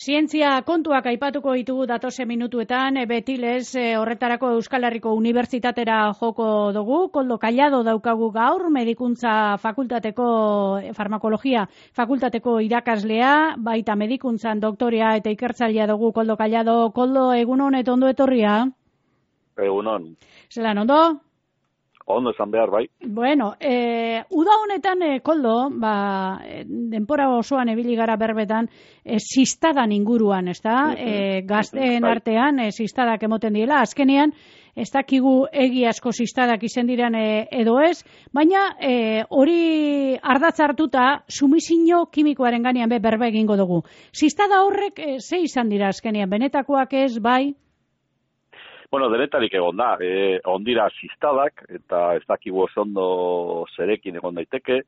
Zientzia kontuak aipatuko ditugu datoze minutuetan, betilez horretarako Euskal Herriko Unibertsitatera joko dugu. Koldo Callado daukagu gaur, medikuntza fakultateko, farmakologia fakultateko irakaslea, baita medikuntzan doktorea eta ikertzailea dugu Koldo Callado. Koldo, egunon eta ondo etorria? Egunon. Zelan, ondo? Ondo esan behar, bai. Bueno, uda honetan, Koldo, denpora osoan ebili gara berbetan, sistadan inguruan, ezta? Gazteen artean, sistadak emoten diela. Azkenean, ez dakigu egiazko sistadak izen diren edo ez, baina hori ardatz hartuta, sumisio kimikoaren ganean berba egingo dugu. Sistada horrek ze izan dira azkenean, benetakoak ez, bai? Bueno, denetarik egon da, ondira sistadak, eta ez dakigu ondo zerekin egon daiteke,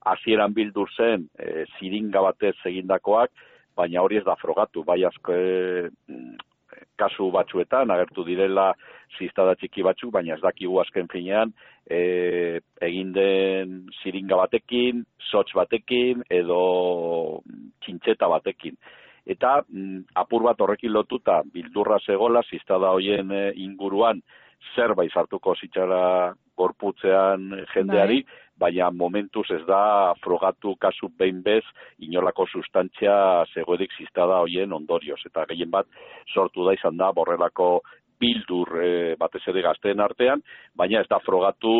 hasieran bildu zen ziringa batez egindakoak, baina hori ez da frogatu, bai asko kasu batzuetan, agertu direla sistada txiki batzuk, baina ez dakigu azken finean, egin den ziringa batekin, sotz batekin, edo txintxeta batekin. Eta apur bat horrekin lotuta bildurra zegola, sistada hoien inguruan zerbait sartuko zitzara gorputzean jendeari, baina momentuz ez da frogatu kasu behin bez inolako sustantzia zegoedik sistada hoien ondorioz. Eta gehien bat sortu da izan da borrelako bildur batez ere gazteen artean, baina ez da frogatu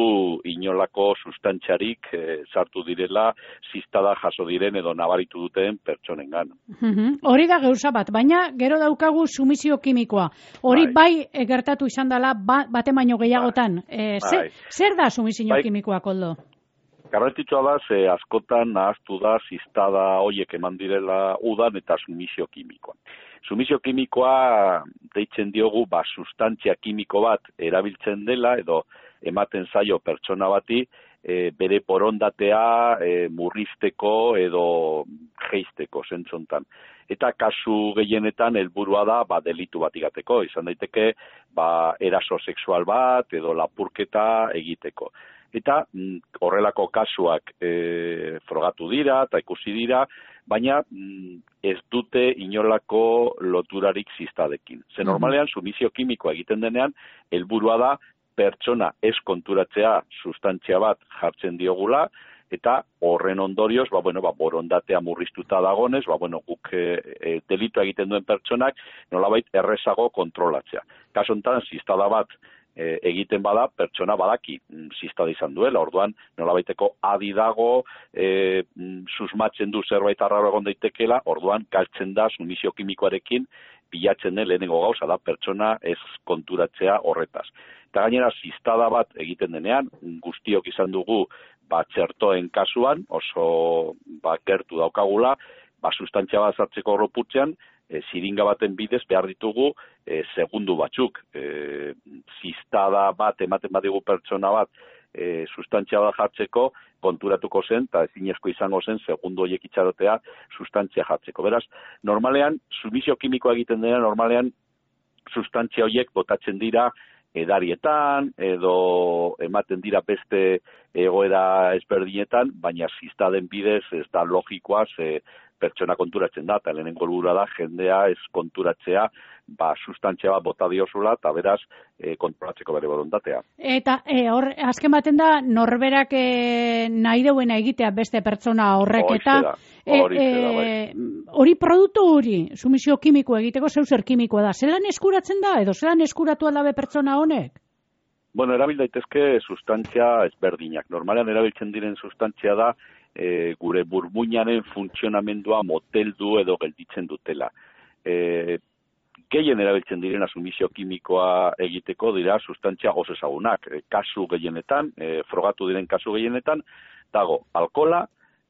inolako sustantziarik sartu direla sistada jaso diren edo nabaritu duten pertsonengan. Hori da gauza bat, baina gero daukagu sumisio kimikoa. Hori bai gertatu izan dela baten baino gehiagotan. Zer da sumisio kimikoa, Koldo? Garrantzitsua da, askotan nahaztu da sistada hoiek eman direla udan eta sumisio kimikoa. Sumisio kimikoa deitzen diogu sustantzia kimiko bat erabiltzen dela edo ematen zaio pertsona bati bere borondatea murrizteko edo jeisteko zentzontan. Eta kasu gehienetan helburua da delitu bat igateko, izan daiteke eraso sexual bat edo lapurketa egiteko. Eta horrelako kasuak frogatu dira eta ikusi dira, baina ez dute inolako loturarik sistadekin. Ze normalean, sumisio kimikoa egiten denean, helburua da pertsona ez konturatzea sustantzia bat jartzen diogula, eta horren ondorioz, borondatea murriztuta dagonez, guk delitua egiten duen pertsonak nolabait errezago kontrolatzea. Kaso honetan, sistada bat egiten bada, pertsona badaki sistada izan duela, orduan nolabaiteko adi dago, susmatzen du zerbait arraro egon daitekela, orduan galtzen da sumisio kimikoarekin bilatzen den lehenengo gauza da pertsona ez konturatzea horretaz. Eta gainera sistada bat egiten denean, guztiok izan dugu txertoen kasuan, oso gertu daukagula, sustantzia bat sartzeko gorputzean, ziringa baten bidez behar ditugu segundu batzuk. Sistada bat ematen badigu pertsona bat sustantzia bat jartzeko konturatuko zen, eta ezinezko izango zen segundu horiek itxarotea sustantzia jartzeko. Beraz, normalean, sumisio kimikoa egiten dena, normalean sustantzia horiek botatzen dira edarietan, edo ematen dira beste egoera ezberdinetan, baina sistaden bidez ez da logikoa, pertsona konturatzen da, eta lehenengo helburua da jendea ez konturatzea, sustantzia bat bota diozula, eta beraz kontrolatzeko bere borondatea. Eta hor, azken baten da, norberak nahi duena egitea beste pertsona horrek, eta hori produktu hori, sumisio kimiko egiteko zer kimikoa da, zelan eskuratzen da, edo zelan eskuratu aldabe pertsona honek? Bueno, erabil daitezke sustantzia ezberdinak. Normalean erabiltzen diren sustantzia da, gure burmuinaren funtzionamendua moteldu edo gelditzen dutela. Gehien erabiltzen direna sumisio kimikoa egiteko dira sustantzia oso ezagunak. Kasu gehienetan, frogatu diren kasu gehienetan, dago alkohola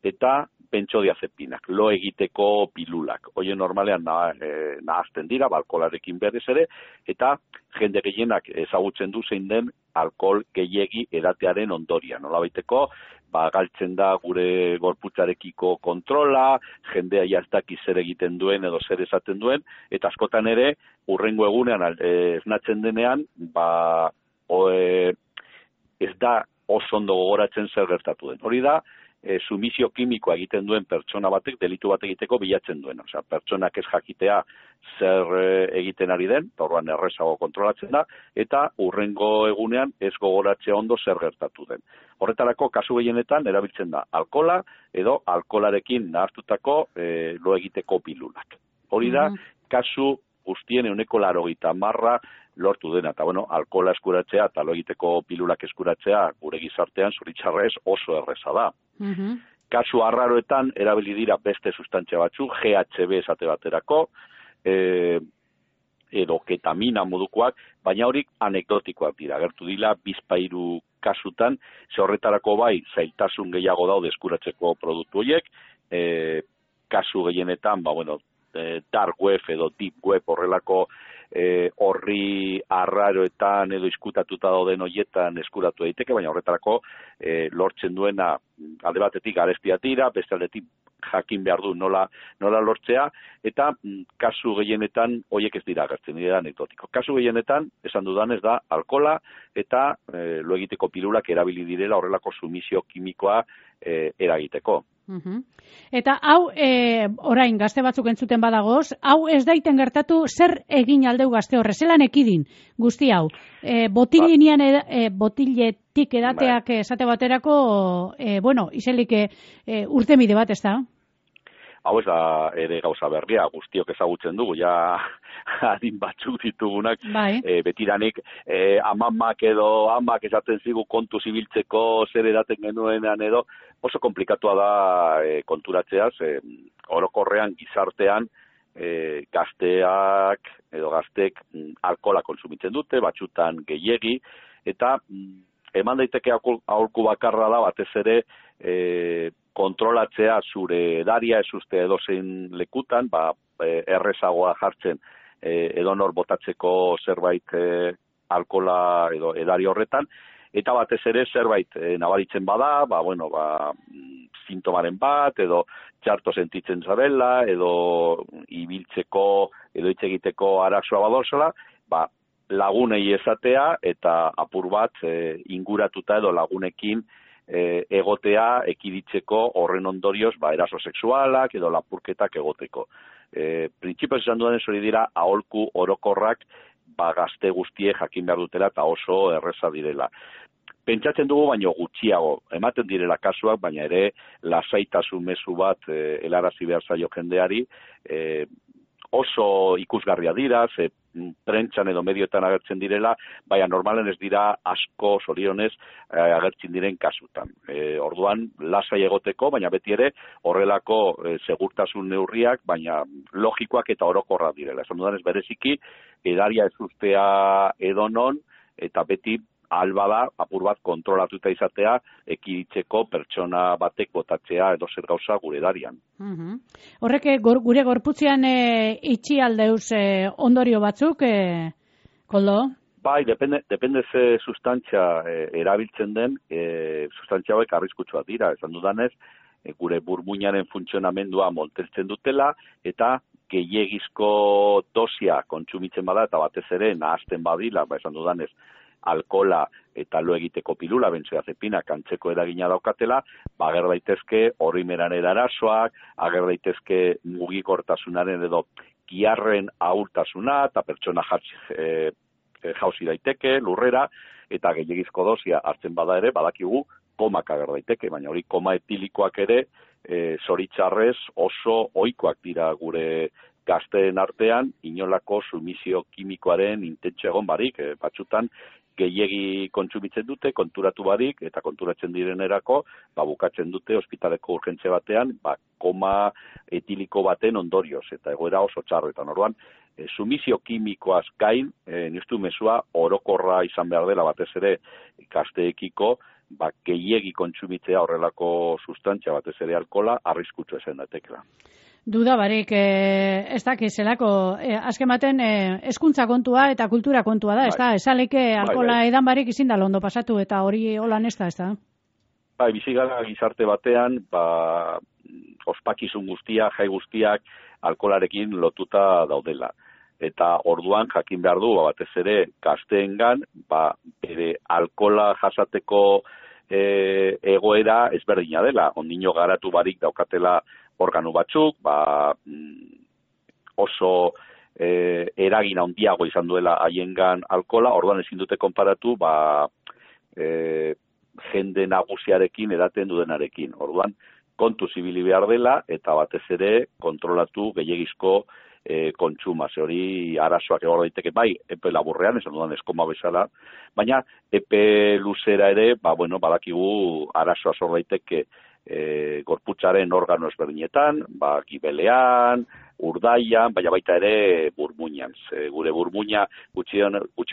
eta bentzodiazepinak, lo egiteko pilulak. Hoien normalean nahazten dira, alkoholarekin berez ere, eta jende gehienak ezagutzen du zein den alkohol gehiegi edatearen ondoria. Nolabaiteko, galtzen da gure gorputzarekiko kontrola, jendea jaztaki zer egiten duen edo zer esaten duen, eta askotan ere, hurrengo egunean esnatzen denean, ez da oso ondo gogoratzen zer gertatu den. Hori da, sumisio kimikoa egiten duen pertsona batek delitu bat egiteko bilatzen duen. Osea, pertsonak ez jakitea zer egiten ari den, orduan errezago kontrolatzen da, eta hurrengo egunean ez gogoratzea ondo zer gertatu den. Horretarako, kasu gehienetan, erabiltzen da alkohola edo alkoholarekin nahastutako lo egiteko pilulak. Hori da, kasu guztien 80% lortu dena. Eta, bueno, alkohola eskuratzea eta lo egiteko pilulak eskuratzea gure gizartean zuritzarrez oso erreza da. Kasu arraroetan erabili dira beste sustantzia batzuk, GHB esate baterako, edo ketamina modukoak, baina horik anekdotikoak dira. Gertu dira bizpahiru kasutan, ze horretarako bai zailtasun gehiago daude eskuratzeko produktu horiek, kasu gehienetan, dark web edo deep web horrelako horri arraroetan edo izkutatuta dauden horietan eskuratu daiteke, baina horretarako lortzen duena alde batetik garestia tira, beste aldetik jakin behar du nola lortzea, eta kasu gehienetan horiek ez dira agertzen, dira anekdotiko. Kasu gehienetan, esan dudan ez da, alkohola eta lo egiteko pilulak erabili direla horrelako sumisio kimikoa eragiteko. Eta hau, orain gazte batzuk entzuten badagoz, hau ez daiten gertatu zer egin aldeu gazte horre, zelan ekidin guzti hau. Botiletik edateak esate baterako, izelik urtemide bat, ez da? Hau ez da ere gauza berria, guztiok ezagutzen dugu, ja adin batzuk ditugunak, betiranik amamak edo amak esaten zigu kontu zibiltzeko zer edaten genuenean edo, oso komplikatua da konturatzeaz, orokorrean gizartean gazteak edo gaztek alkohola kontsumitzen dute, batzutan gehiegi, eta eman daiteke aholku bakarra da batez ere kontrolatzea zure edaria ez uste edozein lekutan, errezagoa jartzen edonor botatzeko zerbait alkohola edo edari horretan, eta batez ere zerbait nabaritzen bada, sintomaren bat, edo txarto sentitzen zabela, edo ibiltzeko, edo hitz egiteko arazoa badozela, lagunei esatea, eta apur bat inguratuta edo lagunekin egotea ekiditzeko horren ondorioz eraso sexualak edo lapurketak egoteko. Printzipioz esan dudan ez hori dira aholku orokorrak gazte guztie jakin behar dutela eta oso erreza direla. Pentsatzen dugu baino gutxiago, ematen direla kasuak, baina ere lasaitasun mezu bat helarazi behar zaio jendeari, oso ikusgarria dira, prentsan edo medioetan agertzen direla, baina normalen ez dira asko zorionez agertzen diren kasutan. Orduan, lasai egoteko, baina beti ere horrelako segurtasun neurriak, baina logikoak eta orokorrak direla. Esan dudanez bereziki, edaria ez ustea edonon, eta beti albada apur bat kontrolatuta izatea ekiditzeko pertsona batek botatzea edo zer gauza gure edarian. Horrek gure gorputzean itxi aldeuz ondorio batzuk, Koldo? Bai, depende ze sustantzia erabiltzen den, sustantzia hauek arriskutsuak dira, esan dudanez, gure burmuinaren funtzionamendua molteltzen dutela, eta gehiegizko dosia kontsumitzen bada, eta batez ere nahasten badila, esan dudanez, alkohola eta lo egiteko pilula, benzodiazepinak antzeko eragina daukatela, ager daitezke horrimeran edarasoak, ager daitezke mugikortasunaren edo giarren ahultasuna, eta pertsona jauzi daiteke, lurrera, eta gehiagizko dosia hartzen bada ere, badakigu komak ager daiteke, baina hori koma etilikoak ere, zoritzarrez oso ohikoak dira gure gazteen artean, inolako sumisio kimikoaren intentzio egon barik, batzutan gehiegi kontsumitzen dute, konturatu barik, eta konturatzen direnerako, bukatzen dute ospitaleko urgentze batean, koma etiliko baten ondorioz, eta egoera oso txarretan. Orduan, sumisio kimikoaz gain, niztu mezua orokorra izan behar dela batez ere gazteekiko, gehiegi kontsumitzea horrelako sustantzia batez ere alkohola, arriskutsu ezen datekela. Duda barik, ez dakizelako, azken baten hezkuntza kontua eta kultura kontua da, ez da? Esaleke alkohola edan barik izin da londo pasatu eta hori holan ez da, ez da? Bizi gara gizarte batean, ospakizun guztiak, jai guztiak alkoholarekin lotuta daudela. Eta orduan jakin behar du, batez ere gazteengan, bere alkohola jasateko egoera ezberdina dela. Ondino garatu barik daukatela organu batzuk, oso eragin handiago izan duela haiengan alkola, orduan ezin dute konparatu, jende nagusiarekin edaten dudenarekin. Orduan, kontu zibili behar dela, eta batez ere kontrolatu gehiagizko kontsuma, hori arazoak egon daiteke, bai, epe laburrean, esan dudan eskoma bezala, baina epe luzera ere, badakigu arazoa zor daiteke gorputzaren organo ezberdinetan, gibelean, urdaian, baina baita ere burmuinan. Gure burmuina gutxi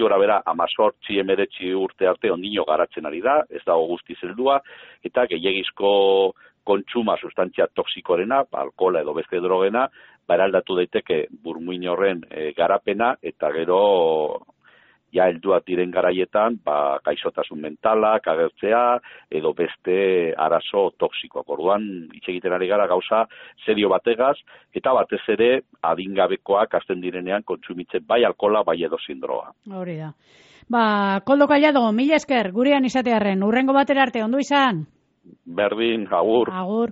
gora bera 18-19 urte arte ondino garatzen ari da, ez dago guztiz heldua, eta gehiagizko kontsuma sustantzia toksikorena, alkohola edo beste drogena, eraldatu daiteke burmuin horren garapena, eta gero helduak diren garaietan, gaixotasun mentalak agertzea, edo beste arazo toksikoak. Orduan, hitz egiten ari gara gauza serio bategaz, eta batez ere adingabekoak hasten direnean kontsumitzen bai alkohola, bai edozein droga. Hori da. Koldo Collado, mila esker, gurean izatearren, urrengo batera arte, ondo izan? Berdin, agur. Agur.